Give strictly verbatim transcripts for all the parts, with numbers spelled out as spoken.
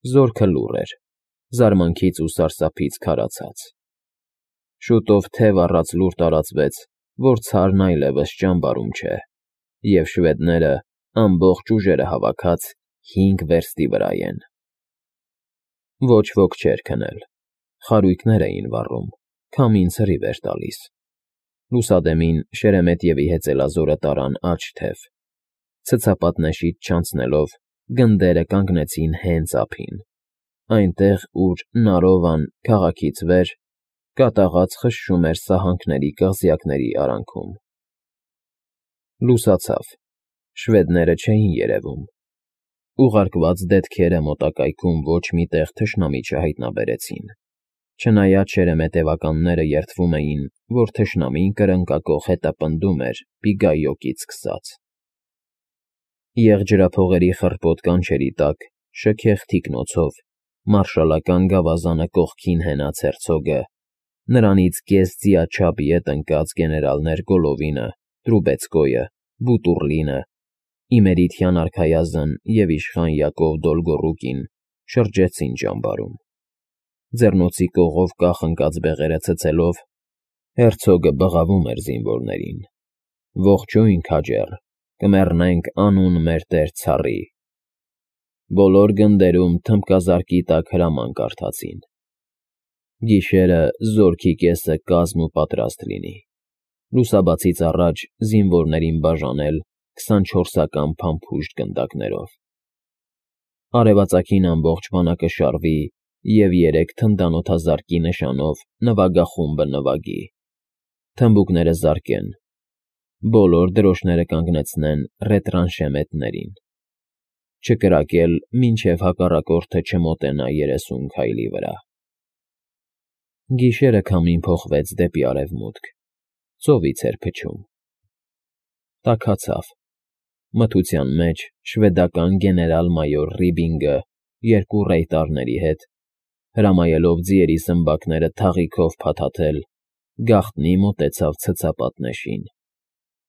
Զորքը լուռ էր, զարմանքից ու սարսափից քարացած։ Շուտով թև առած լուր տարածվեց, որ Ցարն այլևս ճամբարում չէ, և շվեդները, ամբողջ ուժերը հավաքած, հինգ վերստի վրա են։ Ոչ ոք չէր քնել, խարույկներ էին վառում, քամին ցրիվ էր տալիս։ Լուսադեմին Շերեմետևի հեծելազորը տարան աջ թև, ցցապատնեշից չանցնելով, գնդերը կանգնեցին հենց ափին, այնտեղ, ուր Նարովան, քաղաքից վեր, կատաղած խշշում էր սահանքների կղզյակների արանքում։ Լուսացավ, շվեդները չէին երևում։ Ուղարկված դետքերը մոտակայքում ոչ մի տեղ թշնամի չհայտնաբերեցին, չնայած շերեմետևականները երդվում էին, որ թշնամին կրնկակոխ հետապնդում էր Բիգայոկից սկսած։ Եղջրափողերի խռպոտ կանչերի տակ, շքեղ թիկնոցով, մարշալական գավազանը կողքին հենած հերցոգը, նրանից կես ձիաչափ ետ ընկած գեներալներ Գոլովինը, Տրուբեցկոյը, Բուտուռլինը, Իմերիթյան արքայազն և իշխան Յակով Դոլգոռուկին շրջեցին ճամբարում։ Ձեռնոցի կողով կախ ընկած բեղերը ցցելով, հերցոգը բղավում էր զինվորներին. «Ողջույն, քաջեռ, կմեռնենք անուն մեր տեր ցառի»։ Բոլոր գնդերում թմբկազարկի տակ հրաման կարդացին. «Գիշերը զորքի կեսը կազմ ու պատրաստ լինի»։ Լուսաբացից առաջ զինվորներին բաժանել քսանչորսական փամփուշտ գնդակներով։ Արևածագին ամբողջ բանակը շարվի և երեք թնդանոթազարկի նշանով նվագախումբը նվագի։ Թմբուկները զարկեն, բոլոր դրոշները կանգնեցնեն ռետրանշեմենտներին։ Չկրակել, մինչև հակառակորդը չմոտենա երեսուն քայլի վրա։ Գիշերը քամին փոխվեց դեպի արևմուտք, ծովից էր փչում։ Տաքացավ։ Մթության մեջ շվեդական գեներալ֊մայոր Ռիբինգը երկու ռեյտարների հետ, հրամայելով ձիերի սմբակները թաղիքով փաթաթել, գաղտնի մոտեցավ ցցապատնեշին,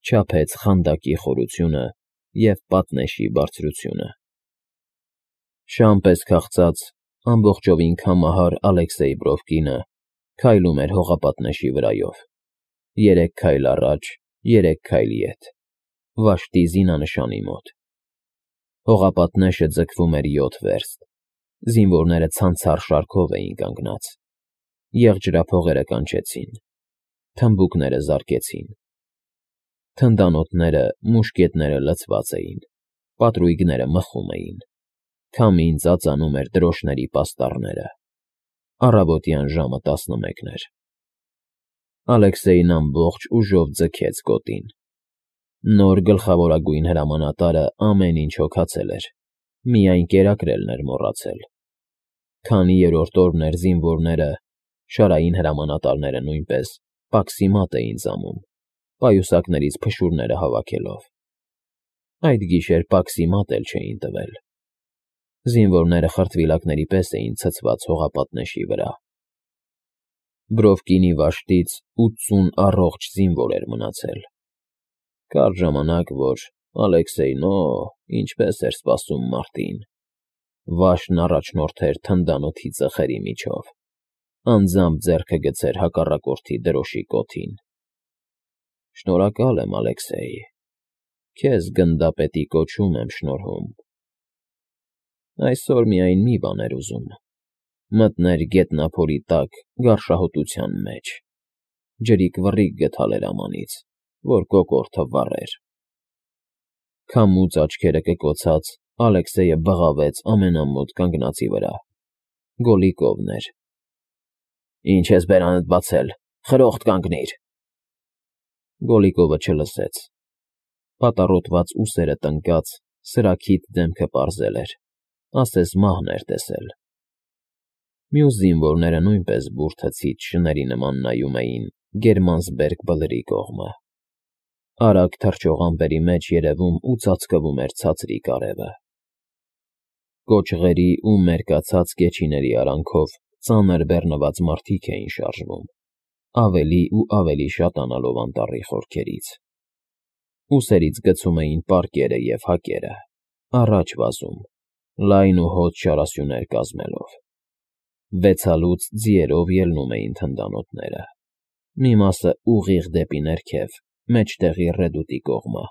չափեց խանդակի խորությունը և պատնեշի բարձրությունը։ Շան պես քաղցած, ամբողջովին քամահար Ալեքսեյ Բրովկինը քայլում էր հողապատնեշի վրայով, երեք քայլ առաջ, երեք քայլ ետ, վաշտի զինանշանի մոտ։ Հողապատնեշը ձգվում էր յոթ վերստ, զինվորները ցանցառ շարքով էին կանգնած։ Եղջրափողերը կանչեցին, թմբուկները զարկեցին։ Թնդանոթները, մուշկետները լցված էին, պատրույգները մխում էին, քամին ծածանում էր դրոշների պաստառները։ Առավոտյան ժամը տասնմեկն էր։ Ալեքսեյն ամբողջ ուժով ձգեց գոտին։ Նոր գլխավորագույն հրամանատարը ամեն ինչ հոգացել էր, միայն կերակրելն էր մոռացել։ Քանի երրորդ օրն էր զինվորները, շարային հրամանատարները նույնպես, պաքսի մատ էին ծամում, պայուսակներից փշուրները հավաքելով։ Այդ գիշեր պաքսի մատ էլ չէին տվել։ Զինվորները խրտվիլակների պես էին ցցված հողապատնեշի վրա։ Բրովկինի վաշտից ութսուն առողջ զինվոր էր մնացել։ Կար ժամանակ, որ Ալեքսեյն, օ, ինչպես էր սպասում մարտին։ Վաշտն առաջնորդեր թնդանոթի ծխերի միջով, անձամբ ձեռքը գցեր հակառակորդի դրոշի կոթին։ Շնորհակալ եմ, Ալեքսեյ, քեզ գնդապետի կոչում եմ շնորհում։ Այսօր միայն մի բան էր ուզում. մտներ գետնափորի տակ գարշահոտության մեջ, ջրիկ վռիկ գթալ էր ամանից, որ կոկորդը վառեր։ Քամուց աչքերը կկոցած, Ալեքսեյը բղավեց ամենամոտ կանգնածի վրա։ Գոլիկովն էր։ Ինչ ես բերանդ բացել, խրոխտ կանգնիր։ Գոլիկովը չլսեց։ Պատառոտված ուսերը տնկած, սրաքիթ դեմքը պարզել էր, ասես մահն էր տեսել։ Մյուս զինվորները նույնպես բուրդացից շների նման նայում էին Գերմանսբերգ բլրի կողմը։ Արագ թռչող ամպերի մեջ երևում ու ծածկվում էր ցածրիկ արևը։ Կոճղերի ու մերկացած կեչիների արանքով ծանր բեռնված մարդիկ էին շարժվում, ավելի ու ավելի շատանալով անտառի խորքերից։ Ուսերից գցում էին պարկերը և հակերը, առաջ վազում, լայն ու հոտ շարասյուներ կազմելով։ Վեցալուց ձիերով ելնում էին թնդանոթները, մի մասը ուղիղ դեպի ներքև, մեջտեղի ռեդուտի կողմը,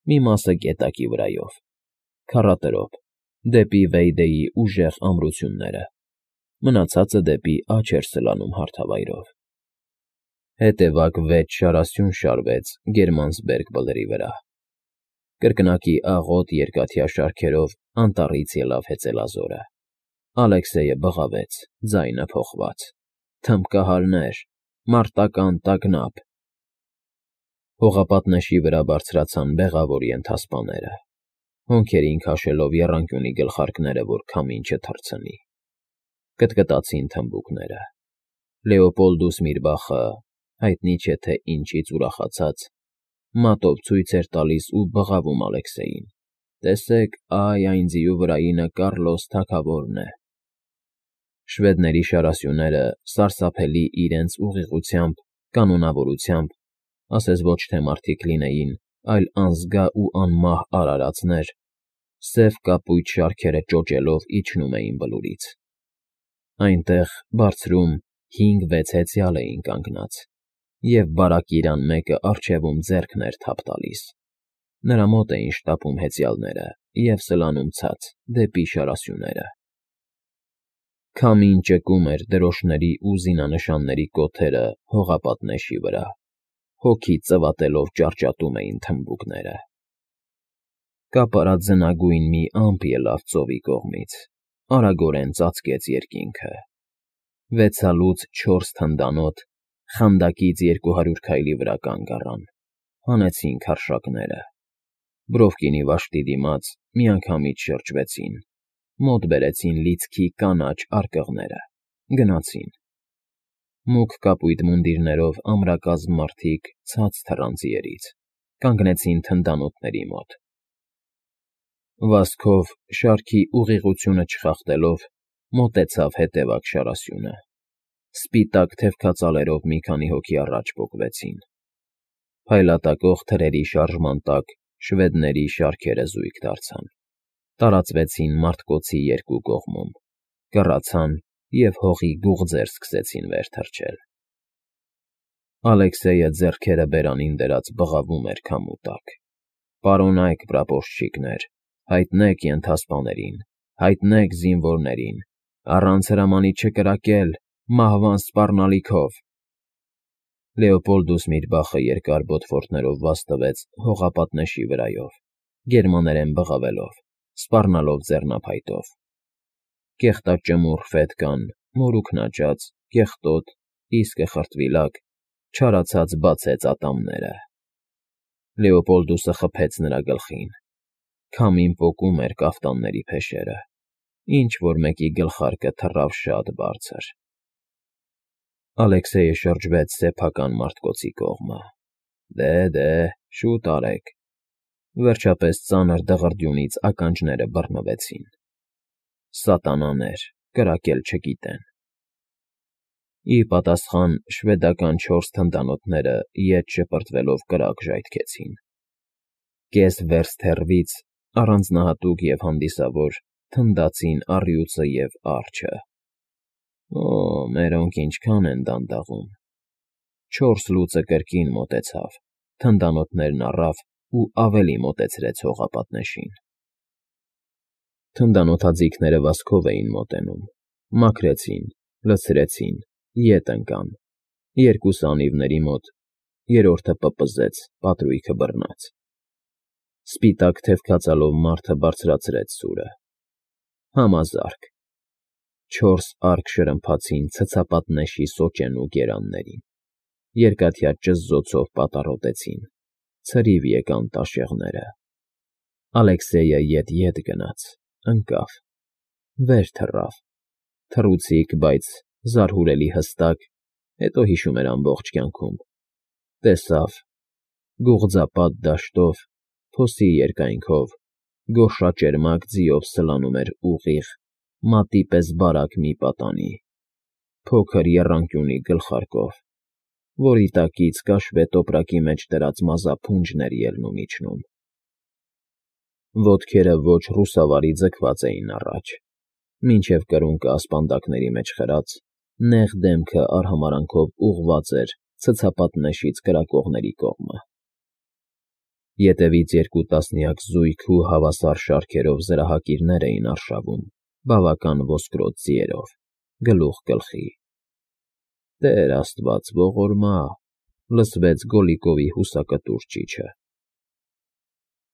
մի մասը գետակի վրայով, քառատրոփ, դեպի Վեյդեի ուժեղ ամրությունները, մնացածը դեպի աջ էր սլանում հարթավայրով։ Հետևակ վեց շարասյուն շարվեց Գերմանսբերգ բլրի վրա։ Կրկնակի աղոտ երկաթյա շարքերով անտառից ելավ հեծելազորը։ Ալեքսեյը բղավեց, ձայնը փոխված. «Թմբկահարներ, մարտական տագնապ»։ Հողապատնեշի վրա բարձրացան բեղավոր ենթասպաները, հոնքերին քաշելով եռանկյունի գլխարկները, որ քամին չթռցնի։ Կտկտացին թմբուկները։ Լեոպոլդուս Միրբախը, հայտնի չէ թե ինչից ուրախացած, մատով ցույց էր տալիս ու բղավում Ալեքսեյին. «Տեսեք, այ այն ձիու վրայինը Կառլոս թագավորն է»։ Շվեդների շարասյուները, սարսափելի իրենց ուղիղությամբ, կանոնավորությամբ, ասես ոչ թե մարդիկ լինեին, այլ անզգա ու անմահ արարածներ, սև կապույտ շարքերը ճոճելով իջնում էին բլուրից։ Այնտեղ, բարձրում, հինգ֊վեց հեծյալ էին կանգնած, և բարակ իրան մեկը առջևում ձեռքն էր թափ տալիս։ Նրա մոտ էին շտապում հեծյալները և սլանում ցած, դեպի շարասյուները։ Քամին ճկում էր դրոշների ու զինանշանների կոթերը հողապատնեշի վրա, հոգի ծվատելով ճարճատում էին թմբուկները։ Կապարած ձնագույն մի ամպ ելավ ծովի կողմից, արագորեն ծածկեց երկինքը։ Վեցալուց չորս թնդանոթ խանդակից երկու հարյուր քայլի վրա կանգ առան, հանեցին քարշակները։ Բրովկինի վաշտի դիմաց միանգամից շրջվեցին, մոտ բերեցին լիցքի կանաչ արկղները, գնացին։ Մուգ կապույտ մունդիրներով ամրակազմ մարդիկ ցած թռան ձիերից, կանգնեցին թնդանոթների մոտ։ Վազքով, շարքի ուղղությունը չխախտելով, մոտեցավ հետևակ շարասյունը։ Սպիտակ թևքածալերով մի քանի հոգի առաջ պոկվեցին։ Փայլատակող թրերի շարժման տակ շվեդների շարքերը զույգ դարձան, տարածվեցին մարտկոցի երկու կողմում, կռացան և հողի գուղձեր սկսեցին վեր թռչել։ Ալեքսեյը ձեռքերը բերանին դրած բղավում էր քամու տակ. «Պարոնայք պրապորշչիկներ, հայտնեք ենթասպաներին, հայտնեք զինվորներին, առանց հրամանի չկրակել, մահվան սպառնալիքով»։ Լեոպոլդուս Միրբախը երկար բոթվորտներով վազք տվեց հողապատնեշի վրայով, գերմաներեն բղավելով, սպառնալով ձեռնափայտով։ Կեղտաճմուռ ֆետկան, մորուքն աճած, կեղտոտ, իսկը խրտվիլակ, չարացած բացեց ատամները։ Լեոպոլդուսը խփեց նրա գլխին։ Քամին պոկում էր կաֆտանների փեշերը, ինչ֊որ մեկի գլխարկը թռավ շատ բարձր։ Ալեքսեյը շրջվեց սեփական մարտկոցի կողմը։ «Դե, դե, շուտ արեք»։ Վերջապես ծանր դղրդյունից ականջները բռնվեցին։ Սատանաներ, կրակել չգիտեն։ Ի պատասխան շվեդական չորս թնդանոթները ետ շպրտվելով կրակ ժայթքեցին։ Կես վերստ հեռվից, առանձնահատուկ և հանդիսավոր, թնդացին առյուծը և արջը։ «Օ, մերոնք ինչքան են դանդաղում»։ Չորս լուծը կրկին մոտեցավ, թնդանոթներն առավ ու ավելի մոտեցրեց հողապատնեշին։ Թնդանոթաձիգները վազքով էին մոտենում, մաքրեցին, լցրեցին, ետ ընկան, երկուսը անիվների մոտ, երրորդը պպզեց, պատրույգը բռնած։ Սպիտակ թևքածալով մարդը բարձրացրեց սուրը։ Համազարկ։ Չորս արկ շրմփացին ցցապատնեշի սոճենու գերաններին, երկաթյա ճզզոցով պատառոտեցին, ցրիվ եկան տաշեղները։ Ալեքսեյը ետ֊ետ գնաց, ընկավ, վեր թռավ, թռուցիկ, բայց զարհուրելի հստակ, հետո հիշում էր ամբողջ կյանքում, տեսավ, գուղձապատ դաշտով, փոսի երկայնքով, գորշաճերմակ ձիով սլանում էր ուղիղ, մատի պես բարակ մի պատանի, փոքր եռանկյունի գլխարկով, որի տակից կաշվե տոպրակի մեջ դրած մազափունջն էր ելնում֊իջնում։ Ոտքերը ոչ ռուսավարի ձգված էին առաջ, մինչև կրունկը ասպանդակների մեջ խրած, նեղ դեմքը արհամարանքով ուղղված էր ցցապատնեշից կրակողների կողմը։ Ետևից երկու տասնյակ զույգ ու հավասար շարքերով զրահակիրներ էին արշավում բավական ոսկրոտ ձիերով, գլուխ գլխի։ «Տեր աստված ողորմա», լսվեց Գոլլիկովի հուսակտուր ճիչը։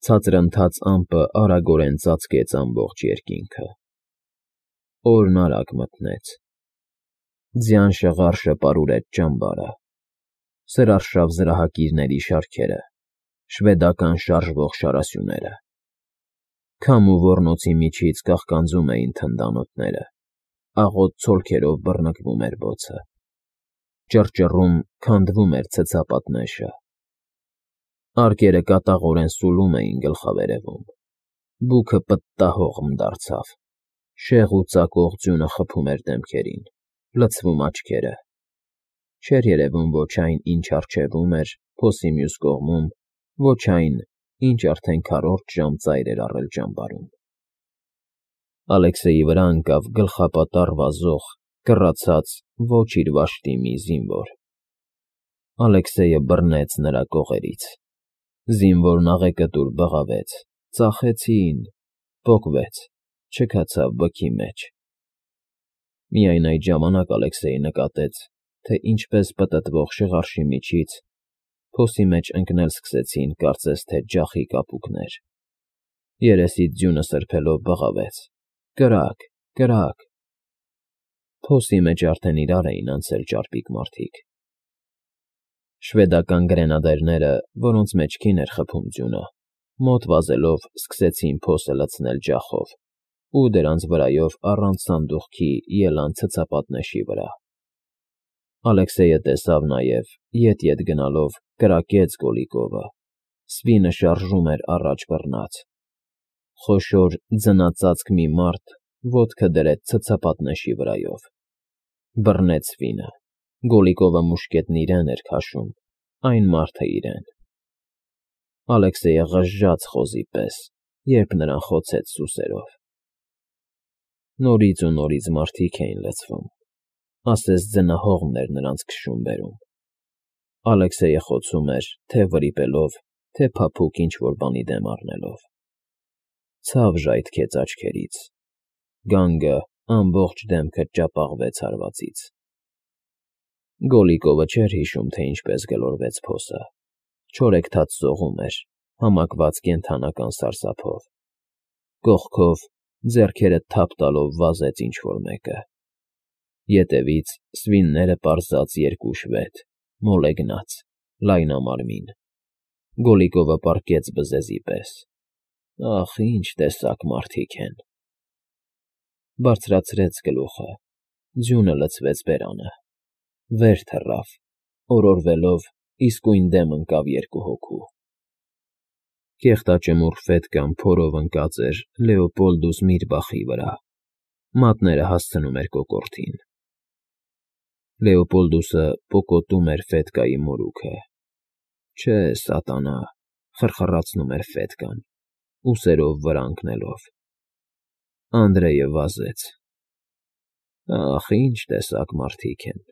Ցածրընթաց ամպը արագորեն ծածկեց ամբողջ երկինքը։ Օրն արագ մթնեց։ Ձյան շղարշը պարուրեց ճամբարը, սրարշավ զրահակիրների շարքերը, շվեդական շարժվող շարասյուները։ Քամու ոռնոցի միջից կաղկանձում էին թնդանոթները, աղոտ ցոլքերով բռնկվում էր բոցը, ճռճռում, քանդվում էր ցցապատնեշը։ Արկերը կատաղորեն սուլում էին գլխավերևում, բուքը պտտահողմ դարձավ, շեղ ու ծակող ձյունը խփում էր դեմքերին, լցվում աչքերը։ Չէր երևում ոչ այն, ինչ առջևում էր, փոսի մյուս կողմում, ոչ այն, ինչ արդեն քառորդ ժամ ծայր էր առել ճամբարում։ Ալեքսեյի վրա ընկավ գլխապատառ վազող, կռացած, ոչ իր վաշտի մի զինվոր։ Ալեքսեյը բռնեց նրա կողերից։ Զինվորն աղեկտուր բղավեց. «Ծախեցին», պոկվեց, չքացավ բքի մեջ։ Միայն այդ ժամանակ Ալեքսեյը նկատեց, թե ինչպես պտտվող շղարշի միջից փոսի մեջ ընկնել սկսեցին կարծես թե ջախի կապուկներ։ Երեսից ձյունը սրբելով բղավեց. «Կրակ, կրակ»։ Փոսի մեջ արդեն իրար էին անցել ճարպիկ մարդիկ։ Շվեդական գրենադերները, որոնց մեջքին էր խփում ձյունը, մոտ վազելով սկսեցին փոսը լցնել ջախով ու դրանց վրայով առանց սանդուղքի ելան ցցապատնեշի վրա։ Ալեքսեյը տեսավ նաև, ետ֊ետ գնալով, կրակեց Գոլլիկովը, սվինը շարժում էր առաջ բռնած։ Խոշոր ձնածածկ մի մարդ ոտքը դրեց ցցապատնեշի վրայով։ Բռնեց սվինը։ Գոլլիկովը մուշկետն իրեն էր քաշում, այն մարդը իրեն։ Ալեքսեյը ғժժաց խոզի պես, երբ նրան խոցեց սուսերով։ Նորից ու նորից մարդիկ էին լցվում, ասես ձնահողմն էր նրանց քշում֊բերում։ Ալեքսեյը խոցում էր, թե վրիպելով, թե փափուկ ինչ֊որ բանի դեմ առնելով։ Ցավ ժայթքեց աչքերից։ Գանգը, ամբողջ դեմքը ճապաղվեց հարվածից։ Գոլլիկովը չէր հիշում, թե ինչպես գլորվեց փոսը։ Չորեքթաթ սողում էր, համակված կենդանական սարսափով։ Կողքով, ձեռքերը թափ տալով վազեց ինչ֊որ մեկը։ Ետևից սվինները պարզած երկու շվեդ, մոլեգնած, լայնամարմին։ Գոլլիկովը պառկեց բզեզի պես։ Ախ, ինչ տեսակ մարդիկ են։ Բարձրացրեց գլուխը, ձյունը լցվեց բերանը, վեր թռավ, օրորվելով, իսկույն դեմ ընկավ երկու հոգու։ Կեղտաճմուռ ֆետկան փորով ընկած էր Լեոպոլդուս Միրբախի վրա, մատները հասցնում էր կոկորդին։ Լեոպոլդուսը պոկոտում էր ֆետկայի մորուքը։ Չէ, սատանա, խրխռացնում էր ֆետկան, ուսերով վրա ընկնելով։ Անդրեյը վազեց։ Ախ, ինչ տեսակ մարդիկ են։